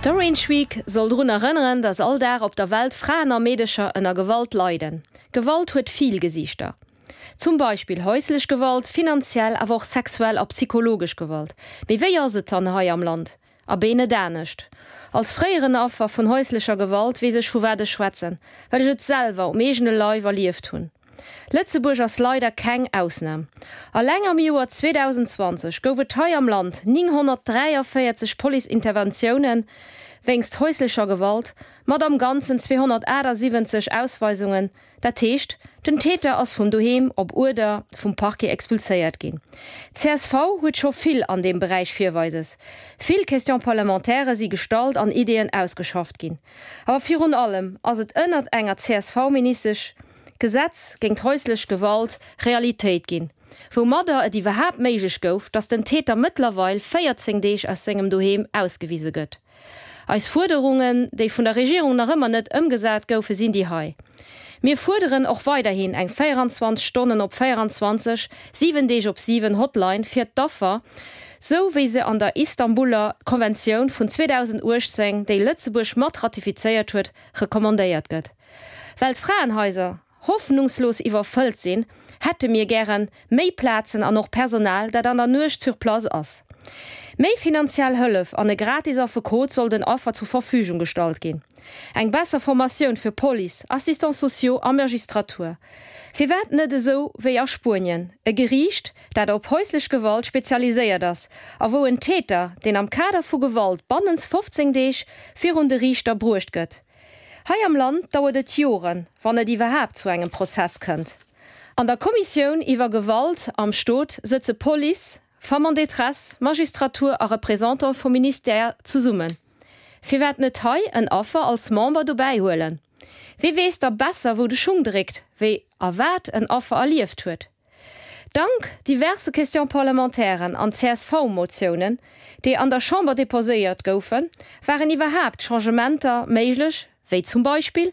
D'Orange Week soll drun erënneren, dass all Dag op der Welt Fraen a Meedecher ënner Gewalt leiden. Gewalt huet vill Gesiichter. Zum Beispill häuslech Gewalt, finanziell, awer och sexuell a psychologesch Gewalt. Mee wéi ass et dann hei am Land? Abee net anescht. Als fréieren Affer vun häuslecher Gewalt weess ech vu wat ech schwätzen, well ech et selwer um eegene Leif erlieft hunn. Lëtzebuerg ass leider keng Ausnam. Alleng am Joer 2020 gouf et hei am Land 943 Police-Interventiounen wéinst häuslecher Gewalt, mat am Ganzen 278 Ausweisungen Dat heescht, den Täter ass vum Doheem op Uerder vum Parquet expulséiert ginn. Csv huet scho vill an deem Beräich Virweises. Vill Question-parlementairë si gestallt an Ideeën ausgeschafft ginn. Awer virun allem ass et ënnert enger CSV-Ministesch d'Gesetz géingt häuslech Gewalt Realitéit ginn, woumadder et iwwerhaapt méiglech gouf, datt den Täter mëttlerweil 14 Deeg aus sengem Doheem ausgewise gëtt. Eis Fuerderungen, déi vun der Regierung nach ëmmer net ëmgesat goufen, sinn déi hei, Mir fuerderen och weiderhin eng 24 Stonnen op 24, 7 Deeg op 7 Hotline fir d'Affer, sou wéi se an der Istanbuler Konventioun vun 2018, déi Lëtzebuerg mat ratifizéiert huet, recommandéiert gëtt. Well d'Fraenhaiser hoffnungslos iwwerfëllt sinn, hätte mir gären méi Plazen an och Personal, dat an der Nuecht sur place ass. Méi finanziell Hëllef an e gratis Affekot soll den Affer zur Verfügung gestallt ginn. Eng besser Formatioun fir Police, Assistants sociaux a Magistratur. Firwat net esou wéi a Spuenien, e Geriicht, dat op häuslech Gewalt spezialiséiert ass a wou en Täter, deen am Kader vu Gewalt bannens 15 Deeg virun de Riichter bruecht gëtt, Hei am Land dauert et Joren, wann et iwwerhaapt zu engem Prozess kënnt. An der Kommissioun iwwer Gewalt am Stot sëtze Police, Femmes en détresse, Magistratur a Représentant vum Ministère zesummen. Firwat net hei en Affer als Member dobäi huelen? Wie weess da besser wou de Schung dréckt, wéi a wat en Affer erlieft huet? Dank diverse Question-parlementairen an CSV-Motiounen, déi an der Chamber deposéiert goufen, waren iwwerhaapt Changementer méiglech, wéi zum Beispill,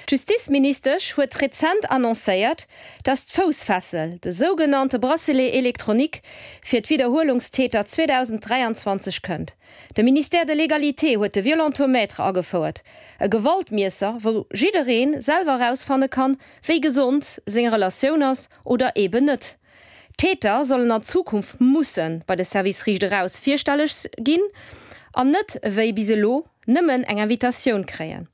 D'Justizministesch huet rezent annoncéiert, datt d'Foussfessel, de sougenannte Bracelet électronique, fir d'Widderhuelungstäter 2023 kënnt. De Ministère de l'Égalité huet de Violentomètre agefouert, e Gewaltmiesser, wou jidderee selwer erausfanne kann, wéi gesond seng Relatioun ass oder eeben net. D'Täter sollen an Zukunft musse bei de Service Riicht Eraus virstelleg ginn an net ewéi bis elo nëmmen eng Invitatioun kréien.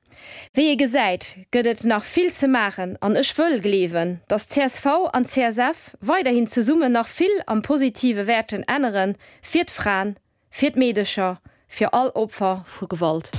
Wéi ee gesäit, gëtt et nach vill ze maachen an ech wëll gleewen, datt csv an CSF weiderhin zesummen nach vill am Positive wäerten ännere fir d'Fraen, fir d'Meedecher, fir all Opfer vu Gewalt.